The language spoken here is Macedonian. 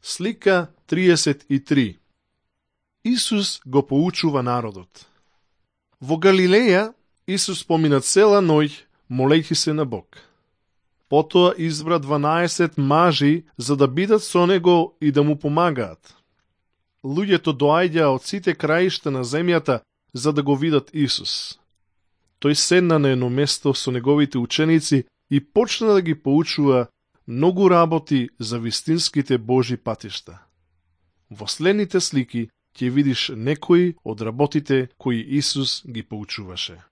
Слика 33. Исус го поучува народот. Во Галилеја Исус помина цела ноќ молејќи се на Бог. Потоа избра 12 мажи за да бидат со него и да му помагаат. Луѓето доаѓаа од сите краишта на земјата за да го видат Исус. Тој седна на едно место со неговите ученици и почна да ги поучува многу работи за вистинските Божи патишта. Во следните слики ќе видиш некои од работите кои Исус ги поучуваше.